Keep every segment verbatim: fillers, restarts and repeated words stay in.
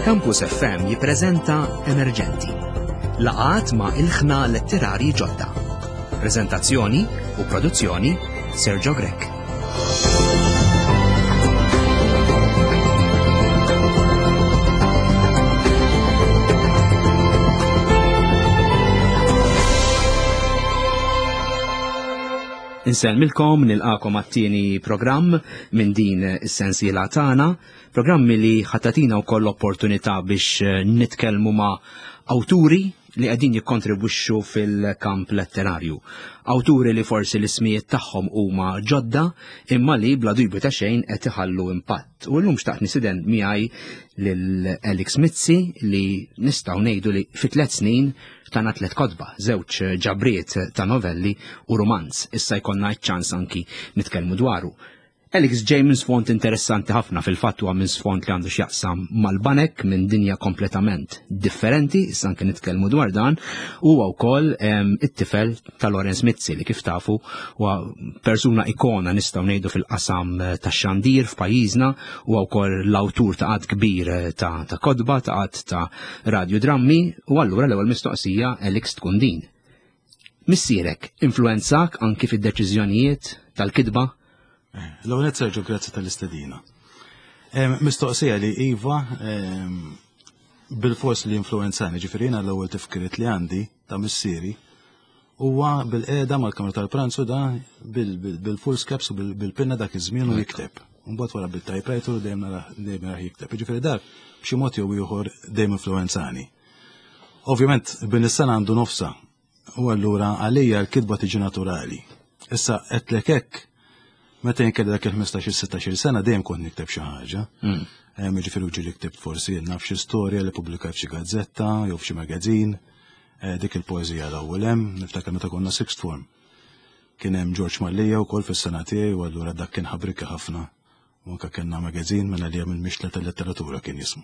Campus F M jippreżenta Emerġenti. Laqgħat ma' ilħna letterari ġodda. Preżentazzjoni u produzzjoni Sergio Grech. Insellmilkom, nilqakom għat-tieni programm minn din is-sensiela tagħna, programmi li ħatatina wkoll opportunità biex nitkellmu ma' awturi li qegħdin jikkontribwixxu fil-kamp letterarju. Awturi li forsi l-ismijiet tagħhom huma ġodda imma li bla dubju ta' xejn qed iħallu impatt. U llum xtaqt nisiden miegħi lil Alex Mizzi li nistgħu ngħidu li fi tliet snin tana tliet kotba, żewġ ġabriet ta' novelli u romanz. Issa jkollna ċ-ċans anki nitkellmu dwaru. Alex ġej minn sfond interessanti ħafna, fil-fatt huwa minn sfond li għandu x'jaqsam mal-banek, minn dinja kompletament differenti, issa anke nitkellmu dwar dan, huwa wkoll, ehm, it-tifel ta' Lawrence Mizzi li kif tafu huwa persuna ikona nistgħu ngħidu fil-qasam tax-xandir f'pajjiżna, huwa wkoll l-awtur ta' għadd kbir ta', ta' kotba, ta' għadd ta' radiodrammi, u allura l-ewwel mistoqsija Alex tkun din. Missierek influenzak anki fid-deċiżjonijiet tal-kitba? L-ewwel nett, Sergio, grazzi tal-istedina. Em, mistoqsija li Iva, em, bil-fors li influenzani, ġifieri jiena l-ewwel tifkiriet li għandi ta' missieri huwa bil-qiegħda mal-kamra tal-pranzu da bil-, bil-, bil-full caps u bil-, bil-pinna dak iż-żmien u jikteb. Mbagħad wara bil-typewriter u dejjem nara, dejjem nara jikteb. Ġifieri dak b'xi mod jew ieħor dejjem influenzani. Ovvjament bin is-sena għandu nofsa u allura għalija l-kitba tiġi naturali. Issa qedlek hekk meta jien kelli dak il-ħmistax-il, sittax-il sena dejjem kont nikteb xi ħaġa. Mm. Em, ġifieri ġieli ktibt forsi naf xi storja li pubblikajt f'xi gazzetta jew f'xi magazin. Eh, dik il-poeżija l-ewwel hemm, niftakar meta konna sixth form. Kien hemm George Mallia wkoll fis-sena tiegħi u allura dak kien ħabrika ħafna. U anke kellna magazin mela li hemm il-mixtla tal-letteratura kien jismu.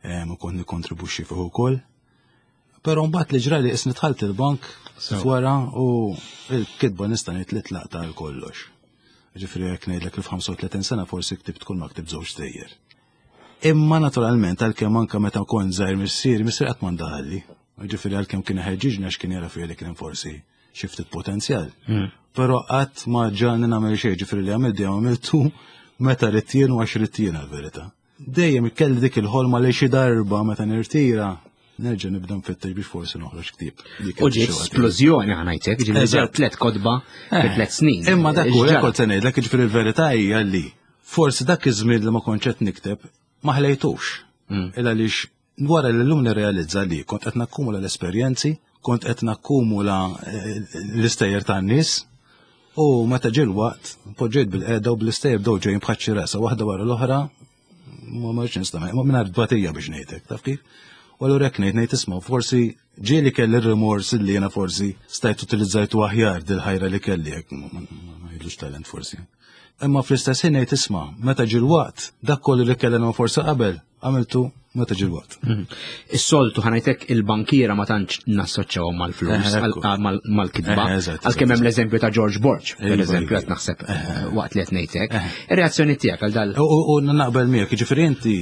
Em, u kont nikkontribwixxi fih ukoll. Però mbagħad li ġrali isni dħalt il-bank So. wara u l-kitba nista' ngħid li tlaqta għal kollox. Ġifieri jekk ngħidlek li f'ħamsa u tletin sena forsi ktibt kull ma ktibt żewġ stejjer. Imma naturalment għalkemm anke meta kont żgħir missieri, missieri qatt ma ndaħalli. Ġifieri għalkemm kien iħeġġiġni għax kien jara fija li kien hemm forsi xi ftit potenzjal. Mm. Però qatt ma ġalni nagħmel xejn, ġifieri li għamilt dejjem għamiltu meta ridt jien u għax ridt jien għall-verità. Dejjem kelli dik il-ħolma li xi darba meta nirtira nerġa' nibda nfittex biex forsi noħroġ ktieb. Dik U ġiet xi waħda. splużjoni ħa ngħidlek, ġifieri Eżatt. ġew tliet kotba fi Eh, tliet snin. Imma dak hu, Ġara. kont se ngħidlek, ġifieri l-verità hija li forsi dak iż-żmien li ma kontx qed nikteb ma ħlejtux. Mm. Illa għaliex wara li llum nirrealizza li kont qed nakkumula l-esperjenzi, kont qed nakkumula, eh, l-istejjer tan-nies, u meta ġie l-waqt poġġejt bil-qeda u bl-istejjer bdew ġejjin bħal xi rasa waħda wara l-oħra, ma marx nistama', ma mingħajr tbatija biex ngħidlek, taf kif? U allura hekk ngħid, ngħid isma' forsi ġieli kelli r-rimors li jiena forsi stajt utilizzajtu aħjar dil-ħajra li kelli, hekk ma-, ma-, ma-, ma jgħidlux talent forsi. Imma fl-istess ħin ngħid isma' meta ġie l-waqt, dak kollu li kellna forsi qabel, għamiltu meta ġie l-waqt. Mhm. Is-soltu ħa ngħidlek il-bankiera ma tantx nassoċjawhom mal-flus, Eh, ekku. għal-, mal-, mal-kitba. Eh, eżatt, Għalkemm hemm eżatt. l-eżempju ta' George Borg, per Iva, eżempju, iva. qed naħseb, Eh, eh, waqt li qed ngħidlek. Eh. Ir-reazzjoni tiegħek għal dal- U, u, u naqbel miegħek, jiġifieri inti,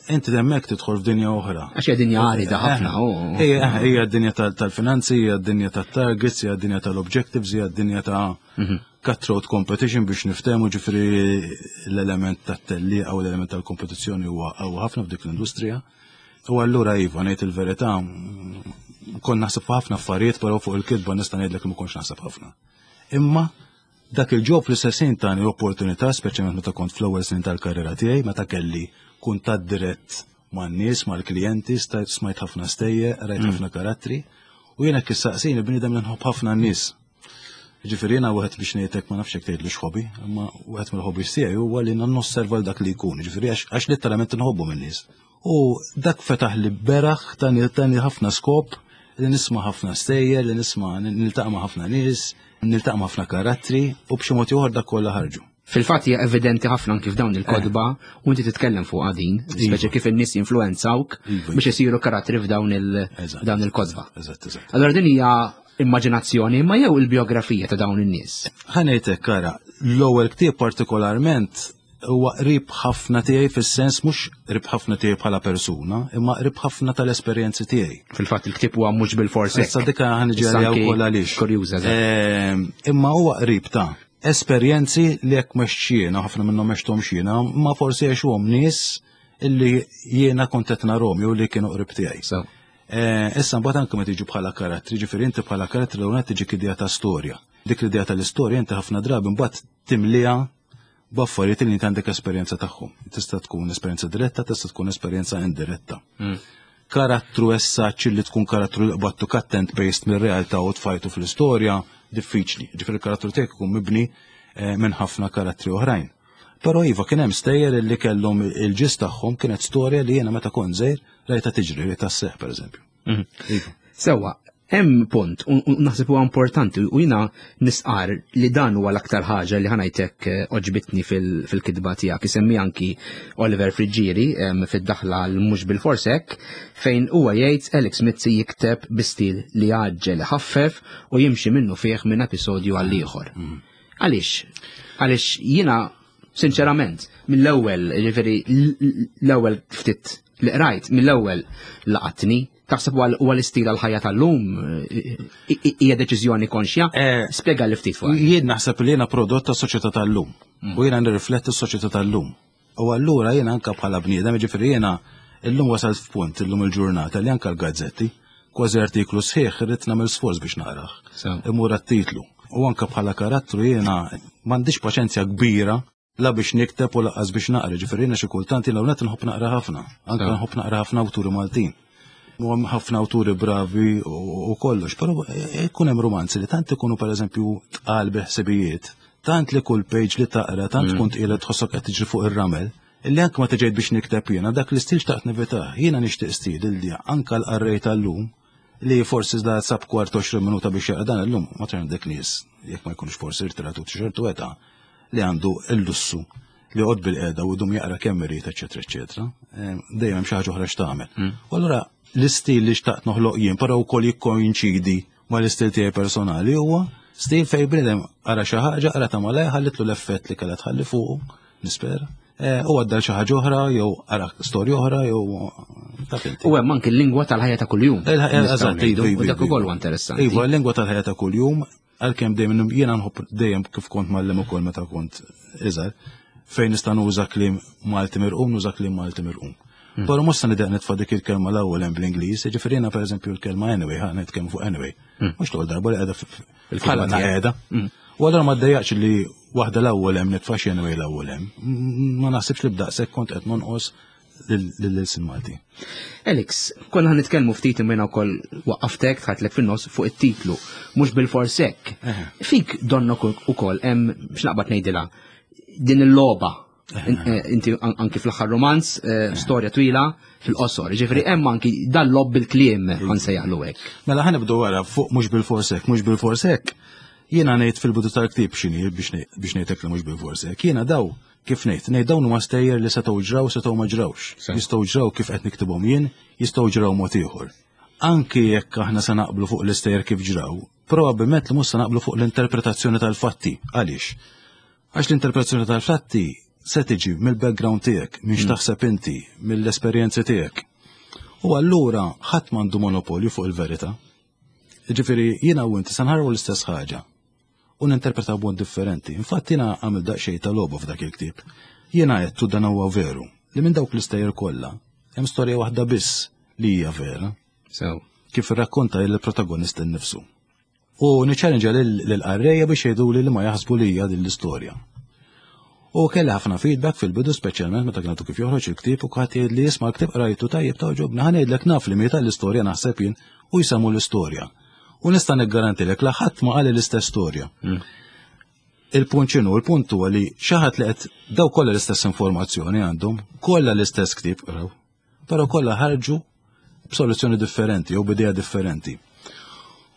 inti hemmhekk tidħol f'dinja oħra. Għax hija dinja għarida ħafna, Eh, u- Hija, hija d-dinja tal-, tal-finanzi, hija d-dinja tat-targets, hija d-dinja tal-objectives, hija d-dinja ta' Mhm. cutthroat competition biex niftehmu, ġifieri l-element tat-tellieqa u l-element tal-kompetizzjoni huwa qawwi ħafna f'dik l-industrija. U allura iva, ngħid il-verità, kont naħseb ħafna affarijiet, però fuq il-kitba nista' ngħidlek li ma kontx naħseb ħafna. Imma dak il-ġob fl-istess ħin tani opportunità, speċjalment meta kont fl-ewwel snin tal-karriera tiegħi, meta kelli kuntatt dirett man-nies, mal-klijenti, stajt smajt ħafna stejjer, rajt Mm. ħafna karattri, u jiena kif saqsini bniedem li nħobb ħafna n-nies. Ġifieri jiena wieħed biex ngħidlek ma nafx jekk tgħidlu x'hobby, imma wieħed mill-hobbies tiegħi huwa li nosserva l dak li jkun, ġifieri għax, għax letteralment inħobbu min-nies. U dak fetaħ li beraħ tani, tani ħafna skop li nisma' ħafna stejjer, li nisma' niltaqa' ma' ħafna nies, niltaqa' ma' ħafna karattri, u b'xi mod ieħor dak kollha ħarġu. Fil-fatt hija evidenti ħafna anki f'dawn il-kotba, Eh. u inti titkellem fuq din, Iva. speċi kif in-nies jinfluwenzawk Iva. biex isiru karattri f'dawn il- Eżatt. dawn il-kotba. Eżatt, eżatt. Allora din hija immaġinazzjoni, imma jew il-biografija ta' dawn in-nies. Ħa ngħidlek, kara, l-ewwel ktieb partikolarment Huwa qrib ħafna tiegħi fis-sens mhux qrib ħafna tiegħi bħala persuna, imma qrib ħafna tal-esperjenzi tiegħi. Fil-fatt il-ktieb huwa mhux bil-fors. Issa dika ħa niġi għaliha wkoll għaliex. Kurjuża. Ehm, imma huwa qrib ta' esperjenzi li jekk mhux jiena, ħafna minnhom għexthom jiena, ma forsi għexuhom nies illi jiena kont qed narahom jew li kienu qrib tiegħi. Eh, issa mbagħad anke meta tiġi bħala karattri, ġifieri inti bħala karattri l tiġi idea ta' storja. Dik l-idea tal-istorja inti ħafna drabi mbagħad timliha b'affarijiet li inti għandek esperjenza tagħhom. Tista' tkun esperjenza diretta, tista' tkun esperjenza indiretta. Mm. Karattru essaċ li tkun karattru li qbattu cut and paste mir-realtà u tfajtu fl-istorja, diffiċli. Ġifieri il-karattru tiegħek ikun mibni eh, minn ħafna karattri oħrajn. Però iva, kien hemm stejjer li kellhom il-ġis tagħhom, kienet storja li jiena meta kont żgħir rajta tiġri, rajta sseħħ, pereżempju. Mhm. Iva. Sewwa, hemm punt u naħseb huwa importanti u jiena nisqar li dan huwa l-aktar ħaġa li ħa ngħidlek eh, għoġbitni fil-kitba tiegħek. Isemmi anki Oliver Friggieri fid-daħla l-mhux bil-fors hekk, fejn huwa jgħid: "Alex Mizzi jikteb bi stil li jgħaġġel, ħaffef u jimxi minnu fih minn episodju għal ieħor." Mhm. Għaliex? Għaliex jiena sinċerament mill-ewwel, ġifieri l-ewwel ftit li qrajt, mill-ewwel laqatni. Taħseb huwa l-istil għal-ħajja tal-lum, hija deċiżjoni konxja? Eh, Spjega li ftit fuq. Jien naħseb li jiena prodott ta' soċjetà tal-lum mm. u jiena nirrifletti s-soċjetà tal-lum. U allura jiena anka bħala bniedem, ġifieri jiena illum wasalt f'punt illum il-ġurnata li anka l-gazzetti, kważi artiklu sħiħ irrid nagħmel sforz biex naqrah. Imur titlu. U anka bħala karattru jiena m'għandix paċenzja kbira la biex nikteb u lanqas biex naqra, ġifieri jiena xi kultant jiena hawnhekk nħobb naqra ħafna, anke nħobb naqra ħafna awturi Maltin. U hemm ħafna awturi bravi u kollox, però jkun hemm romanzi li tant ikunu, pereżempju, tqal bil-ħsibijiet, tant li kull page li taqra tant tkun tqila, tħossok qed tiġri fuq ir-ramel, illi anke ma tiġejt biex nikteb jiena dak l-istil xtaqt nevitah. Jiena nixtieq stil li anke l-qarrej tal-lum li forsi da sab kwart għoxrin minuta biex jaqra dan illum, ma għandek nies, jekk ma jkunux forsi irtiratu ċertu età, li għandu il-lussu li joqgħod bil-qiegħda u dum jaqra kemm irid, eċetera, eċetera. Dejjem hemm xi ħaġa oħra x'tagħmel. Mm. U allura l-istil li xtaqt noħloq jien, però wkoll jikkoinċidi mal-istil tiegħi personali, huwa stil fejn bniedem qara xi ħaġa, qara ta' malaj, ħallitlu l-effett li kellha tħalli fuqu, nispera. Eh, u għadda xi ħaġa oħra jew qara storja oħra jew taf inti. U hemm anki l-lingwa tal-ħajja ta' kuljum. Eżatt, iva, u dak ukoll huwa interessanti. Iva, l-lingwa tal-ħajja ta' kuljum, għalkemm dejjem jiena nħobb, dejjem kif kont mgħallem ukoll meta kont iżgħar, fejn nista' nuża kliem Malti mirqum, nuża kliem Malti mirqum. Hmm. Però mhux se nidaq nitfa' dik il-kelma l-ewwel hemm bl-Ingliż, jiġifieri jiena, pereżempju, l-kelma "anyway", ħa nitkellmu fuq "anyway". Hmm. Mhux l darba li qiegħda bħala qiegħda. Hmm. U allura ma ddejjaqx li waħda l-ewwel hemm nitfa' xi "anyway" l-ewwel hemm. Ma naħsibx li b'daqshekk kont qed nonqos lill-ilsien Malti. Alex, konna ħa nitkellmu ftit imma wkoll waqqaftek, tħatlek fin-nofs fuq it-titlu, mhux bil-fors hekk. Fik donnok ukoll hemm, biex naqbad ngħidilha, din il-logħba. Eh, inti anki fl-aħħar romanz, eh, storja twila fil-qosor. Ġifieri hemm anki dan logħob bil-kliem, ħa nsejjaħlu hekk. Mela ħa nibdu wara fuq mhux bil-fors hekk, mhux bil-fors hekk. Jiena ngħid fil-bidu tal-ktieb x'inhi biex ngħidlek li mhux bil-fors hekk. Jiena daw kif ngħid, ngħid dawn huma stejjer li setgħu ġraw, setgħu ma ġrawx. Jistgħu ġraw kif qed niktibhom jien, jistgħu ġraw mod ieħor. Anki jekk aħna se naqblu fuq l-istejjer kif ġraw, probabbilment li mhux se naqblu fuq l-interpretazzjoni tal-fatti. Għaliex? Għax l-interpretazzjoni tal-fatti se tiġi mill-background tiegħek, minn x'taħseb inti, mill-esperjenzi tiegħek. U allura ħadd m'għandu monopolju fuq il-verità. Ġifieri jiena u inti se nħarru l-istess ħaġa u ninterpretaw b'mod differenti. Infatti jiena għamil daqsxejn ta' logħba f'dak il-ktieb. Jiena għedtu, dan huwa veru, li minn dawk l-istejjer kollha hemm storja waħda biss li hija vera. So. Kif irrakkonta il-protagonist innifsu. U niċċellenġa lill-qarrejja biex jgħidu li ma jaħsbu li hija din l-istorja. U kelli ħafna feedback fil-bidu, speċjalment meta kienet kif joħroġ il-ktieb, u kħat jgħid li jisma' l-ktieb qrajtu, tajjeb, togħġobni, ħa ngħidlek, naf li mieta l-istorja naħseb jien, u jsemmu l-istorja. U nista' niggarantilek la ħadd ma qal l-istess storja. Il-punt x'inhu? Il-punt huwa li xi ħadd li qed daw kollha l-istess informazzjoni għandhom, kollha l-istess ktieb qraw, però kollha ħarġu b'soluzzjoni differenti jew b'idea differenti.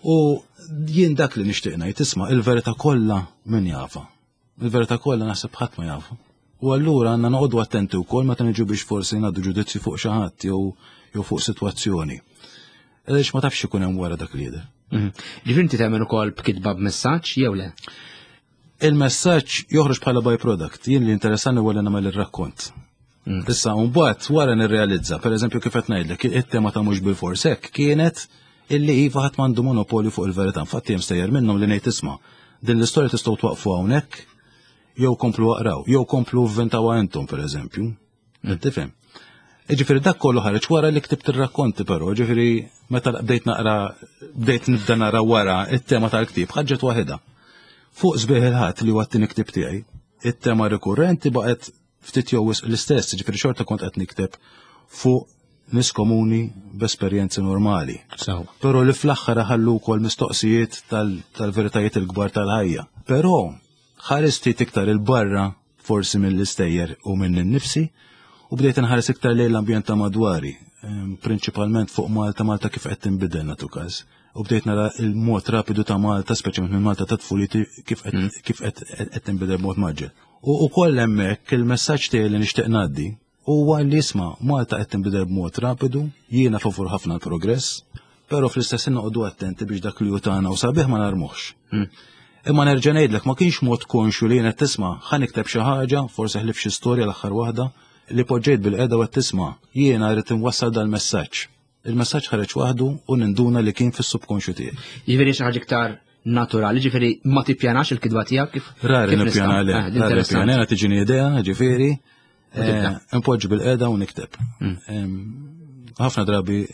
U jien dak li nixtieq ngħid, isma', il-verità kollha min jafa. Il-verità kollha naħseb ħadd ma jafa. U allura għandna noqogħdu attenti wkoll meta niġu biex forsi ngħaddu ġudizzju fuq xi ħadd jew jew fuq sitwazzjoni. Għaliex ma tafx ikun hemm wara dak li jidher. Mhm. Ġifieri inti tagħmel ukoll b'kitba b'messaġġ jew le? Il-messaġġ joħroġ bħala byproduct. Jien li interessani huwa li nagħmel ir-rakkont. Mm. Issa, mbagħad wara nirrealizza, pereżempju kif qed ngħidlek, it-tema ta' mhux bilfors hekk kienet illi iva ħadd m'għandu monopolju fuq il-verità. Infatti hemm stejjer minnhom li ngħid isma' din l-istorja tistgħu twaqfu hawnhekk jew komplu aqraw, jew komplu vvintawha intom pereżempju. Mm. Tifhem? Ġifieri dak kollu ħareġ wara li ktibt ir-rakkonti però, ġifieri meta bdejt naqra bdejt nibda nara wara it-tema tal-ktieb ħaġġet waħedha. Fuq Sbieħ il-Ħadd li huwa t-tieni ktieb tiegħi, it-tema rikurrenti baqgħet ftit jew l-istess, ġifieri xorta kont qed nikteb fuq nies komuni b'esperjenzi normali. Però li fl-aħħar ħallu wkoll mistoqsijiet tal-veritajiet il-kbar tal-ħajja. Però ħarist ftit iktar il-barra forsi mill-istejjer u minn innifsi u bdejt nħares iktar lejn l-ambjent ta' madwari, prinċipalment fuq Malta, Malta kif qed tinbidel nagħtu każ. U bdejt nara il-mod rapidu ta' Malta, speċjalment minn Malta ta' tfuliti kif qed mm. kif qed tinbidel b'mod maġġel. U wkoll hemmhekk il-messaġġ tiegħi li nixtieq ngħaddi huwa li isma' Malta qed tinbidel b'mod rapidu, jiena favur ħafna l-progress, però fl-istess ħin noqogħdu attenti biex dak li hu tagħna u sabiħ ma narmuhx. Mm. Imma nerġa' ngħidlek ma kienx mod konxju li jiena tisma' ħa nikteb xi ħaġa, forsi ħlif xi storja l-aħħar waħda, li poġġejt bil-qeda u tisma' jiena rrid inwassal dal-messaġġ. Il-messaġġ ħareġ waħdu u ninduna li kien fis-subkonxju tiegħi. Jiġifieri xi ħaġa iktar naturali, ġifieri ma tippjanax il-kidba tiegħek kif? Rari nippjana le, eh, rari nippjana, jiena tiġini idea, ġifieri, eh, npoġġi bil-qeda u nikteb. Mm. Ħafna drabi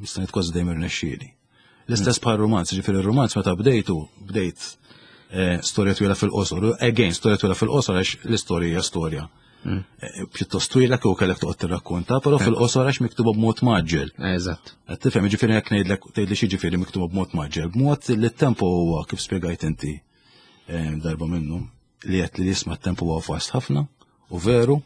nista' ngħid kważi dejjem irnexxieli. L-istess bħal romanz, ġifieri r-romanz meta bdejtu, bdejt eh, storja twila fil-qosor. Again, storja twila fil-qosor għax l-istorja hija storja. Mm. Eh, pjuttost twila kieku kellek toqgħod tirrakkonta, però fil-qosor għax miktuba b'mod maġġel. Eżatt. Qed tifhem, ġifieri jekk ngħidlek tgħidli xi ġifieri miktuba b'mod maġġel, b'mod li t-tempo huwa kif spjegajt inti eh, darba minnu li qed li jisma' t-tempo huwa fast ħafna u veru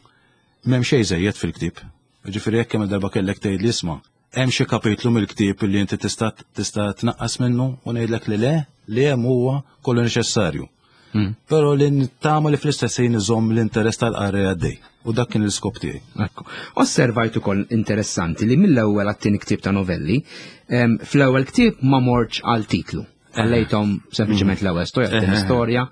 m'hemm xejn żejjed fil-ktieb. Ġifieri jekk kemm darba kellek tgħid li isma' hemm xi kapitlu mill-ktieb li inti tista' tista' tnaqqas minnu u ngħidlek li le, li hemm huwa kollu neċessarju. Mm. Però li nittama li fl-istess ħin iżomm l-interess tal-qarrej għaddej. U dak kien l-iskop tiegħi. Ekku. Osservajt ukoll interessanti li mill-ewwel għat-tieni ktieb ta' novelli, fl-ewwel ktieb ma mortx għal titlu. Għallejthom sempliċement mm. l-ewwel storja, t-tieni storja.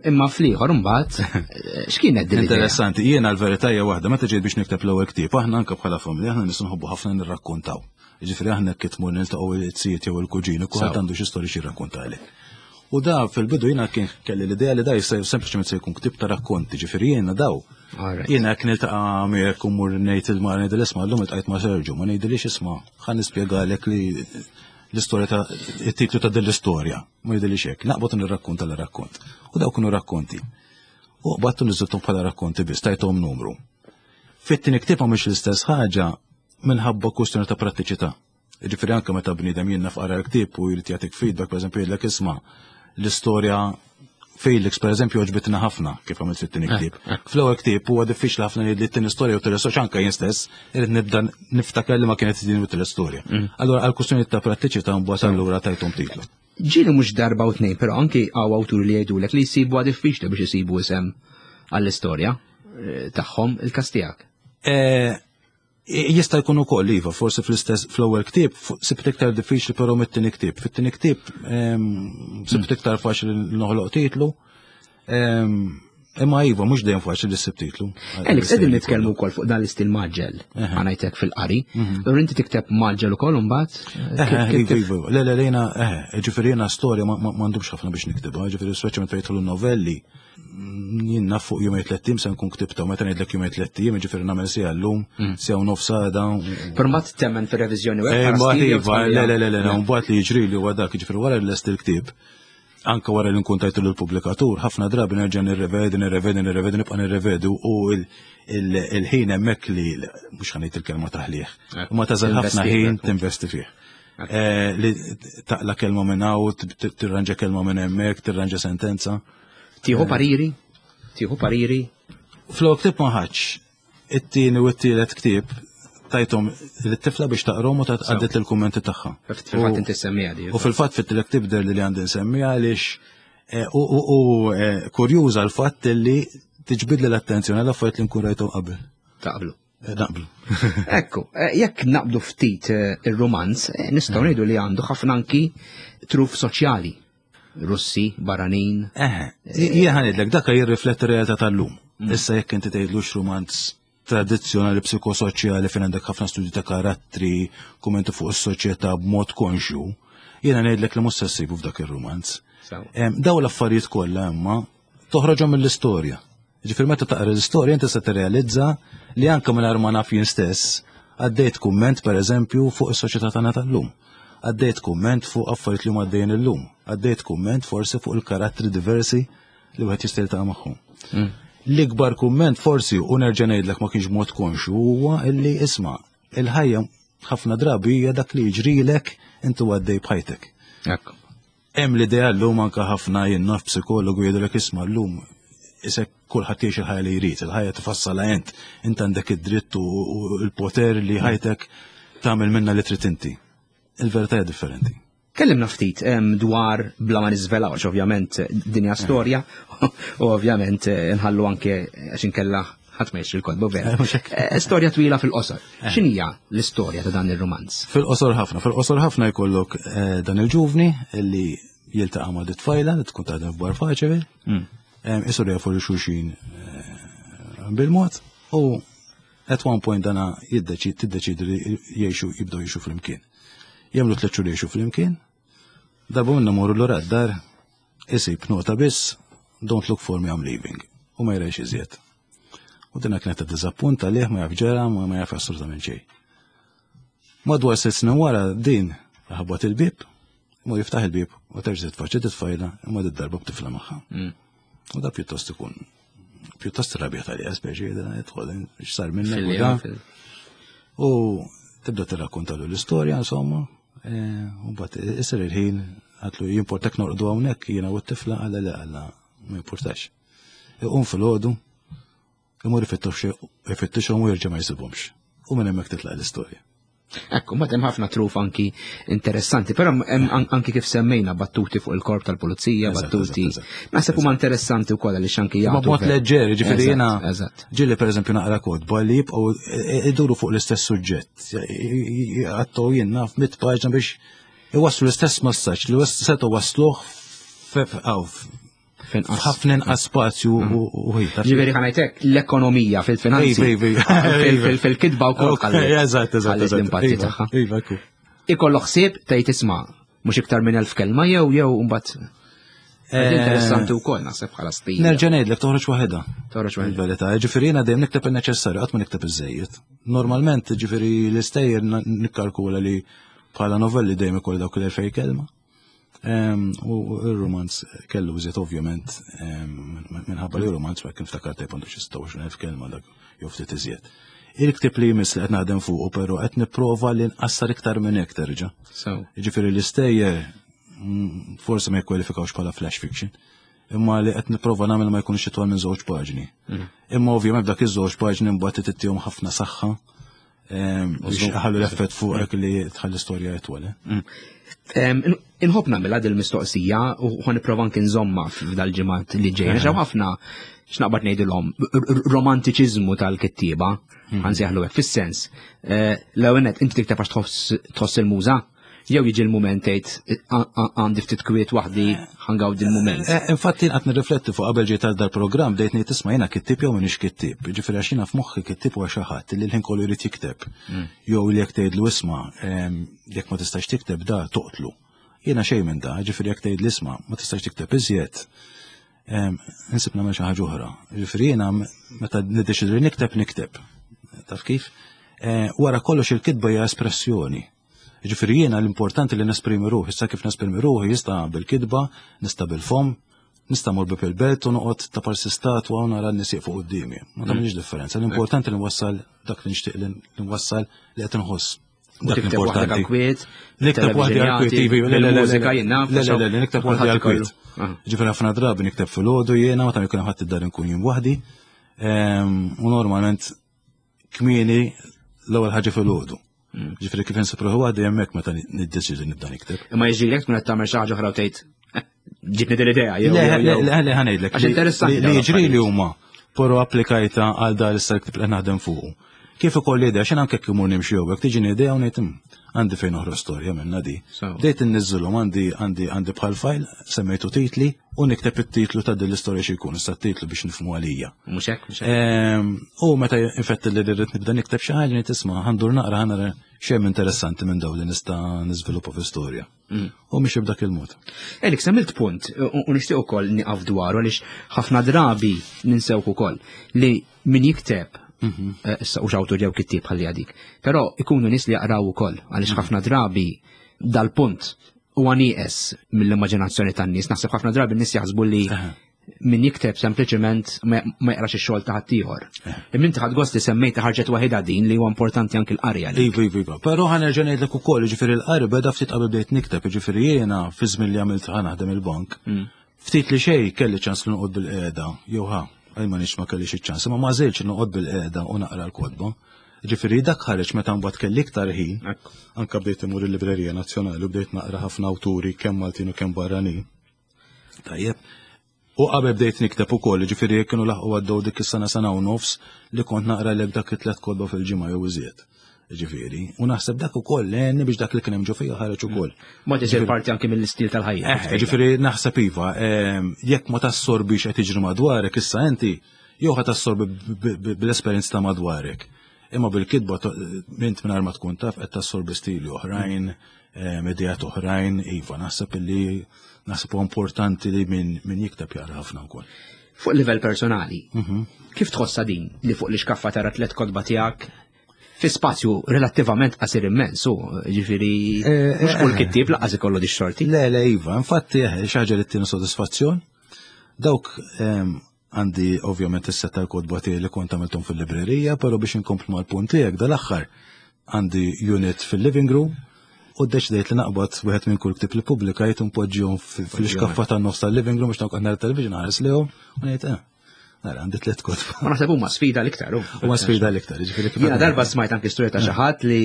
Imma fl-ieħor imbagħad eh, x'kienet din Interessanti, jiena l-verità hija waħda, meta ġejt biex nikteb l-ewwel ktieb, aħna anke bħala familja aħna nies nħobbu ħafna nirrakkontaw. Jiġifieri aħna kif tmur niltaqgħu it-sijiet jew il-kuġini, kulħadd għandu xi storja xi jirrakkontalek. U da fil-bidu jiena kien kelli l-idea li da jista' sempliċement se jkun ktieb ta' rakkonti, ġifieri jiena daw. Jiena jekk niltaqa' miegħek u mmur ngħid il-mara ngħidil isma' llum iltqajt ma' Sergio, ma ngħidilix isma' ħa nispjegalek li l-istorja ta' it-titlu ta' din l-istorja, ma jidhirlix hekk, naqbad nirrakkonta l-rakkont. U dawk kienu rakkonti. U qbadtu niżilthom bħala rakkonti biss, tajthom numru. Fit-tieni ktieb mhux l-istess ħaġa minħabba kwistjoni ta' prattiċità. Ġifieri anke meta bniedem jien naf qara l-ktieb u jrid jagħtik feedback, pereżempju jgħidlek isma' l-istorja Felix, per eżempju, għoġbitna ħafna kif għamilt fit-tieni eh, ktieb. Eh. Fl-ewwel ktieb huwa diffiċli ħafna li t-tieni storja u t anke jien stess irid nibda niftakar li ma kienet din u t storja. Mm. Allura għal kwistjoni ta' prattiċità mbagħad allura tajthom titlu. Ġieli mhux darba u tnejn, però anki hawn awturi li jgħidulek li jsibuha diffiċli biex isibu isem għall-istorja eh, tagħhom il-każ tiegħek. Jista' jkun ukoll iva, forsi fl-istess fl-ewwel ktieb sibt iktar diffiċli però mit-tieni ktieb. Fit-tieni ktieb ehm, sibt mm. iktar faċli noħloq titlu. Ehm, imma iva, mhux dejjem faċli li ssib titlu. Alex, qegħdin nitkellmu wkoll fuq dan l-istil maġġel, ħanajtek fil-qari. Mhm. Allura inti tikteb maġġel ukoll imbagħad? Iva, iva, le, le, lejna, ġifieri jiena storja m'għandux ħafna biex niktibha, ġifieri speċjalment fejn jidħlu novelli. Jien naf fuq jumej tliet ijiem se nkun ktibta, meta ngħidlek jumej tliet ijiem, jiġifieri nagħmel siegħa llum, mm. siegħa u nofs għada. Però mbagħad temmen fir-reviżjoni u hekk. Eh, mbagħad iva, le le le le, mbagħad li jiġri li huwa dak, jiġifieri wara li lest il-ktieb, anka wara li nkun tajtu lill-pubblikatur, ħafna drabi nerġa' nirrevedi, nirrevedi, nirrevedi, nibqa' nirrevedi u il-ħin hemmhekk li mhux ħanejt il-kelma taħlih. Ma tażel ħafna ħin tinvesti fih. Eh, li taqla kelma minn hawn, tirranġa kelma minn hemmhekk, tirranġa sentenza. Tieħu eh. pariri? Tieħu pariri? Fl-ewwel ktieb ma ħadx. It-tieni u t-tielet ktieb tajthom lit-tifla biex taqrom u għaddit l-kummenti tagħha. Fil-fatt inti semmija di. U fil-fatt fit-tielet ktieb der li għandi nsemmiha għaliex eh, u eh, kurjuża l-fatt li tiġbidli l-attenzjoni għal affarijiet li nkun rajthom qabel. Taqblu. Naqblu. Ekku, jekk naqbdu ftit ir-romanz, nistgħu ngħidu li għandu ħafna anki truf soċjali. Russi, barranin. Eħe, jien ħa ngħidlek, dak jirrifletti r-realtà tal-lum. Issa jekk inti tgħidlux romanz tradizzjonali psikosoċjali fejn għandek ħafna studji ta' karattri, kummenti fuq is-soċjetà b'mod konxju, jiena ngħidlek li mhux se ssibu f'dak ir-romanz. Sew. Em, Daw l-affarijiet kollha imma toħroġhom mill-istorja. Ġifier meta taqra l-istorja inti se tirrealizza li anke mingħajr ma naf jien stess għaddejt kumment, pereżempju, fuq is-soċjetà tagħna tal-lum. Għaddejt kumment fuq affarijiet li huma għaddejjin illum. Għaddejt kumment forsi fuq il-karattri diversi li wieħed jista' jiltaqa' magħhom. L-ikbar kumment forsi, u nerġa' ngħidlek ma kienx mod konxju, huwa illi isma' il-ħajja ħafna drabi hija dak li jiġrilek inti għaddej b'ħajtek. Ekku. Hemm l-idea llum, anke ħafna, jien naf psikologu jgħidulek, isma', llum isek kulħadd jgħix il-ħajja li jrid, il-ħajja tifassalha int, int għandek id-dritt u u l-poter li ħajtek tagħmel minna li trid inti. Il-verità hija differenti. Kellimna ftit em, dwar, bla ma niżvelawx, ovvjament dinja storja, u ovvjament eh, nħallu anke għax inkella ħadd ma jixtri l-kotba, vera. Eh, mhux hekk. Eh, Storja twila fil-qosor. X'inhija l-istorja ta' dan ir-romanz? Fil-qosor ħafna, fil-qosor ħafna jkollok eh, dan il-ġuvni illi jiltaqa' ma' tfajla li tkun taħdem f'bar faċevi, isiru jafu lil xulxin eh, bil-mod u at one point dana jiddeċid tiddeċidi li jgħixu jibdew jgħixu flimkien. Jagħmlu tliet xhur jgħixu flimkien, darba minnhom imur lura d-dar, isib nota biss, "Don't look for me, I'm leaving." U ma jrajx iżjed. U dina kienet ta' diżappunt għalih, ma jaf ġera, ma ma jaf assolutament xejn. Madwar sitt snin wara din ħabbat il-bib, mu jiftaħ il-bib u terġa' titfaċċa titfajla, imma darba b'tifla magħha. U da pjuttost ikun pjuttost rabja tal speċi jidħol, x'sar minnek u da. Fil- U tibda tirrakkontalu l-istorja, insomma, eh, u mbagħad isir il-ħin, għatlu, "Jimportak norqdu hawnhekk jiena u t-tifla?" Għalla le, għalla ma jimportax. Iqum filgħodu, imur ifittixhom u jerġa' ma jsibhomx. U minn hemmhekk titlaq l-istorja. Ekku, ma hemm ħafna truf anki interessanti, però hemm an- anki kif semmejna battuti fuq il-korp tal-pulizija, Eżatt, battuti. eżatt, eżatt. Naħseb huma interessanti wkoll għaliex anki Ma jagħtu. b'mod ver- leġġeri, ġifieri Eżatt, jiena Eżatt. ġieli pereżempju naqra kotba li jibqgħu iduru fuq l-istess suġġett. Għattu jien naf mit paġna biex iwasslu l-istess messaġġ li setgħu wasluh Finqas. f'ħafna inqas spazju u u ħin. Taf Ġifieri ħa ngħidlek, l-ekonomija fil-finanzi. Iva, iva, iva. fil- fil- Fil-kitba wkoll Ok, Eżatt, eżatt, ħalliet eżatt. l-impatti Iva, tagħha. Iva, ekku. Ikollok ħsieb tgħid, isma', mhux iktar minn elf kelma jew jew mbagħad Eh, interessanti wkoll naħseb bħala stil. Nerġa' ngħidlek, toħroġ waħedha. Toħroġ waħedha. Il-verità, ġifieri jiena dejjem nikteb il-neċessarju, qatt ma nikteb iż-żejjed. Normalment, ġifieri l-istejjer na- nikkalkula li bħala novelli dejjem ikolli dawk l-elfej kelma. Em, U il-romanz kellu iżjed ovvjament, em, minħabba li romanz ma kien ftakar tajb għandu xi sitta u għoxrin elf kelma dak jew ftit iżjed. Il-ktib li jmiss li qed naħdem fuqu però qed nipprova li nqassar iktar minn hekk terġa'. So, Ġifieri l-istejjer mm, forsi ma jikkwalifikawx bħala flash fiction, imma li qed nipprova nagħmel ma jkunx itwal minn żewġ paġni. Imma ovvjament dak iż-żewġ paġni mbagħad tittihom ħafna saħħa em, biex ħallu l-effett fuqek li tħalli storja itwal. eh. Em, in- Inħobb nagħmilha din il-mistoqsija u ħa nipprova anki nżomma f'dal-ġimgħat li ġejjin. Għax hawn ħafna, x'naqbad ngħidilhom, r- r- romantiċiżmu tal-kittieba, ħa nsejjaħlu hekk, fis-sens. eh, L-ewwel nett, inti tikteb għax tħoss tħoss il-muża, jew jiġi l-mument tgħid, "A- a- għandi ftit kwiet waħdi, ħa ngawdi l-mument"? Eh, Infatti qed nirrifletti fuq qabel ġejt għal dal-programm, bdejt ngħid, isma', jiena kittib jew m'iniex kittib? Ġifieri għax jiena f'moħħi kittib huwa xi ħadd li l-ħin kollu jrid jikteb. Jew li jekk tgħidlu, isma', em, jekk ma tistax tikteb da toqtlu. Jiena xejn minn da, ġifieri jekk tgħid isma', ma tistax tikteb iżjed, em, Insib nagħmel xi ħaġa oħra. Ġifieri jiena meta niddeċidi li nikteb, nikteb. Taf kif? Eh, Wara kollox il-kitba hija espressjoni. Ġifieri jiena l-importanti li nesprimi ruħi, issa kif nesprimi ruħi jista' bil-kitba, nista' bil-fom, nista' mur bib il-belt u noqgħod ta' parsi statwa u nara n-nies fuq quddiemi. Ma tagħmilx differenza. L-importanti li nwassal dak li nixtieq li nwassal, li qed inħoss. Dak Tikteb waħdek l-importanti. għal-kwiet, Nikteb waħdi għal-kwiet, ivi, le, le, le, le, mużika jien naf. Le, le, le, le, nikteb waħdi għal-kwiet. Ġifieri ħafna drabi nikteb filgħodu jiena, meta jkun ħadd id-dar nkun jien waħdi. Ehm, U normalment kmieni, l-ewwel ħaġa filgħodu. Ġifieri kif insib ruħi waħdi hemmhekk meta niddeċidi nibda nikteb. Imma jiġrilek tkun qed tagħmel xi ħaġa oħra u tgħid, "Eh, ġitni din l-idea", jew Le, jew- le, jew. le, le, ħa ngħidlek. Għax li- interessanti Li dawn li jiġri li l-affarijiet. huma, però applikajta għal dar issa l-ktib li naħdem fuqu. Kif ikolli idea, xejn, anke jekk imur nimxi jew hekk tiġini idea u ngħid, "Hmm, Għandi fejn noħroġ storja minna di. Bdejt inniżżilhom għandi għandi għandi bħal file, semmejtu titli u nikteb it-titlu ta' din l-istorja xi jkun, issa titlu biex nifhmu għalija. Mhux hekk, mhux hekk. U meta infetti li rrid nibda nikteb xi ħaġa ngħid isma' ħa ndur naqra ħa nara x'hemm interessanti minn dawn li nista' niżviluppa fi storja. Mm. U mhix b'dak il-mod. Alex, għamilt punt u nixtieq ukoll nieqaf dwaru għaliex ħafna drabi ninsewk ukoll li min jikteb mhm. eh, issa u xawtu ġew kittieb ħalli għadik. Però ikunu nies li jaqraw ukoll għaliex mhm. ħafna drabi dal-punt huwa nieqes mill-immaġinazzjoni tan-nies. Naħseb ħafna drabi n-nies jaħsbu li min jikteb sempliċement ma jaqrax ix-xogħol ta' ħaddieħor. Imma inti ħadd gost li semmejta ħarġet waħedha din li huwa importanti anke l-qari għalik. Iva, iva, iva. Però ħa nerġa' ngħidlek ukoll, jiġifieri l-qari beda ftit qabel bdejt nikteb, jiġifieri jiena fi żmien li għamilt ħa naħdem il-bank. Mm. Ftit li xejn kelli ċans li noqgħod bil-qiegħda, jew ħa, għaj ma nix ma kellix iċ-ċans, imma ma żilx noqgħod bil-qiegħda u naqra l-kotba. Ġifieri dak ħareġ meta mbagħad kelli iktar ħin, anke bdejt imur il-Librerija Nazzjonali u bdejt naqra ħafna awturi kemm Maltin u kemm barranin. Tajjeb. U qabel bdejt nikteb ukoll, ġifieri jekk kienu laħqu għaddew dik is-sena sena u nofs li kont naqra lek dak it-tliet kotba fil-ġimgħa jew iżjed. Ġifieri, u naħseb dak ukoll għenni biex dak li kien hemm ġo fija ħareġ ukoll. Ma tisir parti anke mill-istil tal-ħajja. Eh, ġifieri naħseb iva, ehm, jekk ma tassorbix qed jiġri madwarek issa inti, jew ħa tassorbi bl-esperjenza ta' madwarek. Imma bil-kitba mint mingħajr ma tkun taf qed tassorbi stili oħrajn, ehm, ideat oħrajn, iva, naħseb illi naħseb huwa importanti li min, min jikteb jaqra ħafna wkoll. Fuq livell personali, mhm. kif tħossha din li fuq l-iskaffa tara tliet kotba tiegħek fi spazju relattivament qasir immens, u ġifieri eh, mhux kull eh, kittieb laqas ikollu di xorti. Le, le, iva, infatti eh, xi ħaġa li ttini sodisfazzjon. Dawk ehm, għandi ovvjament is-set tal-kotba tiegħi li kont għamilthom fil-librerija, però biex inkomplu mal-punt tiegħek dal-aħħar għandi unit fil-living room u ddeċidejt li naqbad wieħed minn kull ktieb li pubblikajt u npoġġihom fil-xkaffa tan-nofs tal-living room biex noqgħod nara television ħares lehom u ngħid eh, nara għandi tliet kotba. Ma naħseb huma sfida l-iktar. Huma sfida l-iktar, jiġifieri kif. Jiena darba smajt anke storja ta' xi ħadd li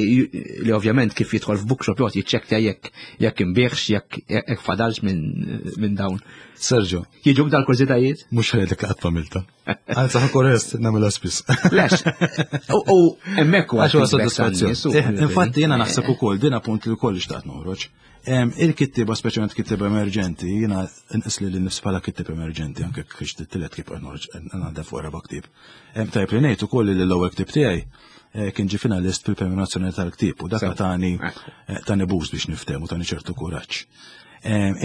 li ovvjament kif jidħol f'bookshop joqgħod jiċċekkja jekk jekk inbiegħx jekk jekk fadalx minn dawn. Sergio. Jiġuk dal-kurżitajiet? Mhux ħedek qatt familta. Anzi ħa korrest nagħmilha spiss. Lex. U hemmhekk huwa Għax huwa sodisfazzjon. Eh, infatti jiena naħseb ukoll din appunt li wkoll xtaqt noħroġ. Il-kittieba speċjalment kittieba emerġenti, jiena nqis li nifs bħala kittieb emerġenti anke kiex tittilet kif noħroġ għandha fuq raba' ktieb. Tajjeb li ngħid ukoll li l-ewwel ktieb tiegħi eh, kien ġie finalist fil-Premju Nazzjonali tal-Ktieb u dak tani eh, tani boost biex niftehmu tani ċertu kuraġġ.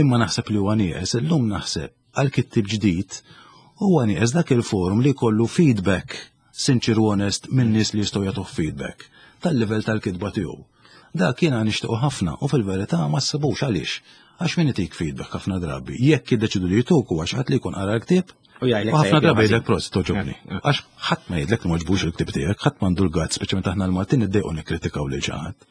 Imma naħseb li huwa nieqes, illum naħseb għal kittib ġdid huwa nieqes dak il-forum li jkollu feedback sinċir u onest minn nies li jistgħu jagħtuh feedback tal-livell tal-kitba tiegħu. Dak jiena nixtiequ ħafna u fil-verità ma ssibux għaliex. Għax min itik feedback ħafna drabi, jekk jiddeċidu li jtuk huwa xi ħadd li jkun qara l-ktieb U jgħidlek ħafna drabi jgħidlek prost toġobni. Għax ħadd ma jgħidlek li m'għoġbux il-ktieb tiegħek, ħadd m'għandu l-gazz, speċjalment aħna l-Maltin niddejqu nikkritikaw lil xi ħadd.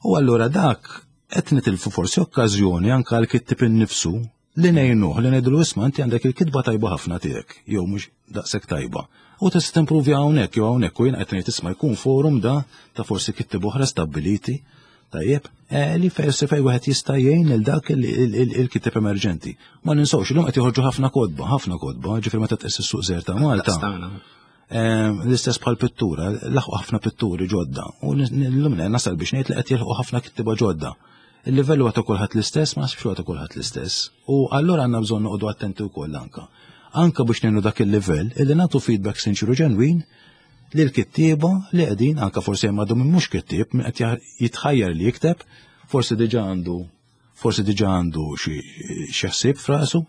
U allura dak qed nitilfu forsi okkażjoni anke għal kittib innifsu li ngħinuh li ngħidulu isma' inti għandek il-kitba tajba ħafna tiegħek jew mhux daqshekk tajba. U tista' timprovja hawnhekk jew hawnhekk u jien qed ngħid isma' jkun forum da ta' forsi kittib oħra stabbiliti tajjeb eh, li forsi fejn wieħed jista' jgħin lil dak il-kitib emerġenti. Ma ninsewx illum qed joħorġu ħafna kotba, ħafna kotba, ġifieri meta tqis is-suq żgħir ta' Malta. Ehm, l-istess bħal pittura, laħqu ħafna pitturi ġodda. U l-lum nasal biex ngħid li qed jilħqu ħafna kittiba ġodda. Il-livell huwa ta' kulħadd l-istess, ma naħsibx huwa ta' kulħadd l-istess. U allura għandna bżonn noqogħdu attenti wkoll anka. Anka biex ngħinu dak il-livell illi nagħtu feedback sinċiru ġenwin li l-kittieba li qegħdin anka forsi hemm għadhom mhux kittieb min qed jitħajjar li jikteb, forsi diġà għandu Forsi diġà għandu xi ħsieb f'rasu,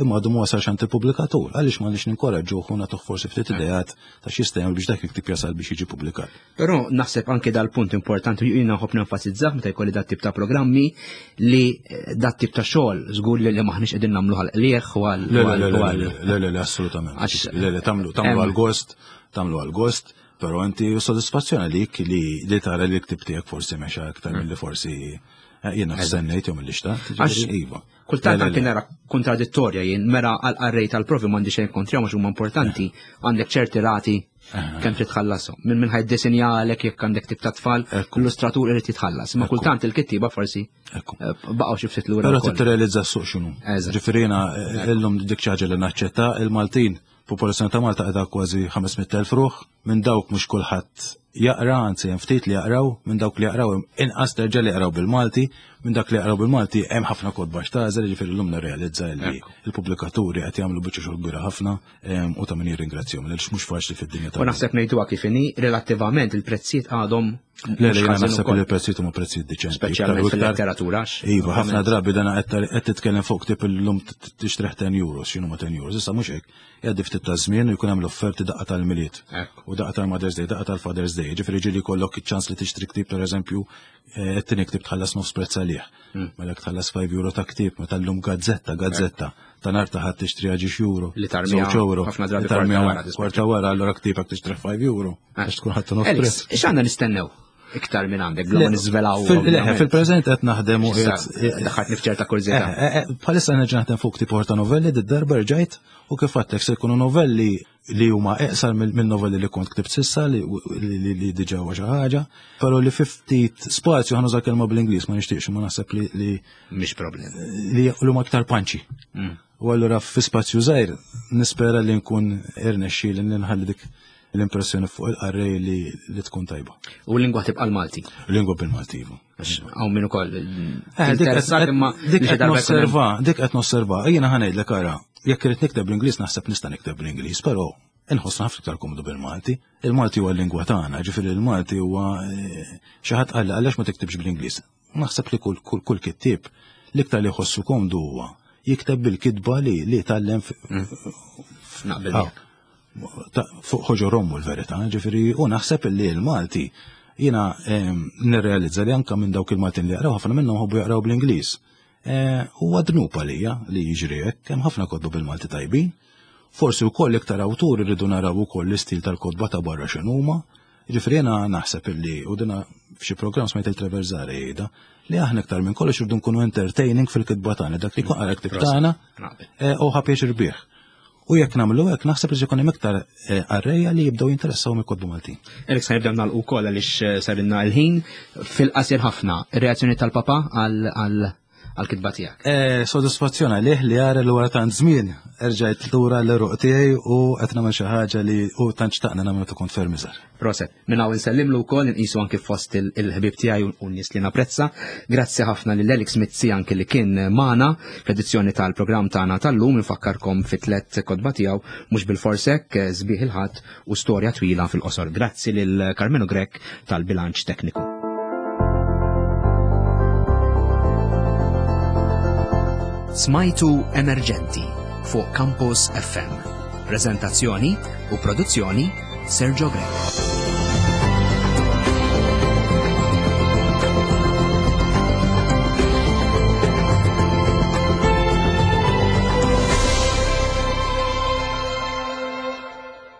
imma għadu ma wasalx għand il-pubblikatur. Għaliex ma nix ninkoraġġuh u nagħtuh forsi ftit ideat ta' x'jista' jagħmel biex dak il-ktieb jasal biex jiġi pubblikat. Però naħseb anke dal-punt importanti u jiena nħobb nenfasizzah meta jkolli dat tip ta' programmi li eh, dat tip ta' xogħol żgur li maħniex qegħdin nagħmlu għal qlieħ u għal. Le, le, le, le, le, assolutament. Le, le, tagħmlu tagħmlu għal gost, tagħmlu għal gost. Però inti sodisfazzjon għalik li li tara li l-ktib tiegħek forsi mexa aktar mm. milli forsi eh, jiena stennejt jew milli xtaqt. Għax iva. Kultant anke nara kontradittorja jien mera għal qarrej tal-provi m'għandi xejn kontra mhux huma importanti eh. għandek ċerti rati eh. kemm trid tħallashom. Minn minn ħajd disinjalek jekk għandek tip ta' tfal, l-illustratur irid jitħallas. Ma kultant il-kittiba forsi baqgħu xi ftit lura. Però trid tirrealizza s-suq x'inhu. Ġifieri jiena illum dik xi ħaġa li naċċetta il-Maltin Popolazzjoni ta' Malta qiegħda kważi ħames mitt elf ruħ, minn dawk mhux kulħadd jaqra, anzi hemm ftit li jaqraw, minn dawk li jaqraw inqas terġa' li jaqraw bil-Malti, minn dak li jaqraw bil-Malti hemm ħafna kotba x'tagħżel, ġifieri llum nirrealizza li l-pubblikaturi qed jagħmlu biċċa xogħol kbira ħafna u ta' min jirringrazzjahom għaliex mhux faċli fid-dinja ta' U naħseb ngħiduha kif inhi, relattivament il-prezzijiet għadhom Le, le, jiena naħseb li l-prezzijiet huma prezzijiet diċenti. Speċjalment fil-letteratura. Iva, ħafna drabi dan qed titkellem fuq ktieb illum tixtrih ten euros, x'inhu ma ten euros, issa mhux hekk. Jgħaddi ftit ta' żmien u jkun hemm l-offerti daqqa tal-Milied. U daqqa tal-Mother's Day, daqqa tal-Father's Day. Ġifieri ġieli jkollok iċ-ċans li tixtri ktieb pereżempju, qed ktieb tħallas nofs prezz għalih. Mela jekk tħallas five euro ta' ktieb, meta llum gazzetta, gazzetta, ta' nhar ta' ħadd tixtri ġiex euro. Li tarmiha ħafna drabi kwarta wara. Kwarta wara, allura ktieb jekk tixtri five euro. Għax tkun ħadd nofs prezz. X'għandna nistennew iktar minn għandek, bla ma niżvelaw? Fil-preżent qed naħdem u daħħaltni f'ċerta kurżità. Bħalissa nerġa' naħdem fuq ktieb ta' novelli, d-darba rġajt u kif għedtlek se jkunu novelli li huma eqsar minn novelli li kont ktibt sissa li diġà huwa xi ħaġa, però li fi ftit spazju ħa nuża kelma bl-Ingliż ma nixtieqx ma naħseb li mhix problem. Li huma aktar punchy. U allura fi spazju żgħir nispera li nkun irnexxi li nħalli dik l-impressjoni fuq il-qarrej li, li tkun tajba. U l-lingwa tibqa' l-Malti? L-lingwa bil-Malti, iva. Hawn min ukoll. Interessat imma dik qed nosserva, dik qed nosserva. Jiena ħa ngħidlek ara, jekk irid nikteb bl-Ingliż naħseb nista' nikteb bl-Ingliż, però inħossna ħafna iktar komdu bil-Malti. Il-Malti huwa l-lingwa tagħna, ġifieri il-Malti huwa xi ħadd qal għaliex ma tiktibx bl-Ingliż. Naħseb li kull kull kittieb l-iktar li jħossu komdu huwa jikteb bil-kitba li li tgħallem Naqbel. Fuq ħoġor ommu l-verità, ġifieri u naħseb li l-Malti jiena nirrealizza li anke minn dawk il-Maltin li jaqraw ħafna minnhom ħobbu jaqraw bl-Ingliż. Huwa dnub għalija li jiġri hekk, hemm ħafna kotba bil-Malti tajbin. Forsi wkoll iktar awturi rridu naraw ukoll l-istil tal-kotba ta' barra x'inhuma. Ġifieri jiena naħseb illi u dina f'xi programm smajt il-Trevor Zahra jgħidha li aħna iktar minn kollox irridu nkunu entertaining fil-kitba tagħna, dak li jkun qara ktib tagħna u ħa pjaċir bih. U jekk nagħmlu hekk naħseb li jkun hemm iktar qarrejja li jibdew jinteressaw mill-kotba Maltin. Alex, ħanibdew nagħlqu wkoll għaliex sarilna l-ħin fil-qasir ħafna. Ir-reazzjoni tal-papa għal għal-kitba tiegħek? Sodisfazzjon għalih li jara li wara tant żmien erġajt lura l-eruq tiegħi u qed nagħmel xi ħaġa li u tant xtaqna nagħmlu ta' kont ferm iżgħar. Proset, minn hawn insellimlu wkoll inqisu anke fost il-ħbieb tiegħi u n-nies li napprezza. Grazzi ħafna lil Alex Mizzi anke li kien magħna fl-edizzjoni tal-programm tagħna tal-lum. Nfakkarkom fi tliet kotba tiegħu mhux bil-forsek, Sbieħ il-Ħadd u Storja Twila fil-Qosor. Grazzi lil Carmenu Grech tal-bilanċ tekniku. Smajtu Emerġenti fuq Campus F M. Prezentazzjoni u produzzjoni Sergio Grech.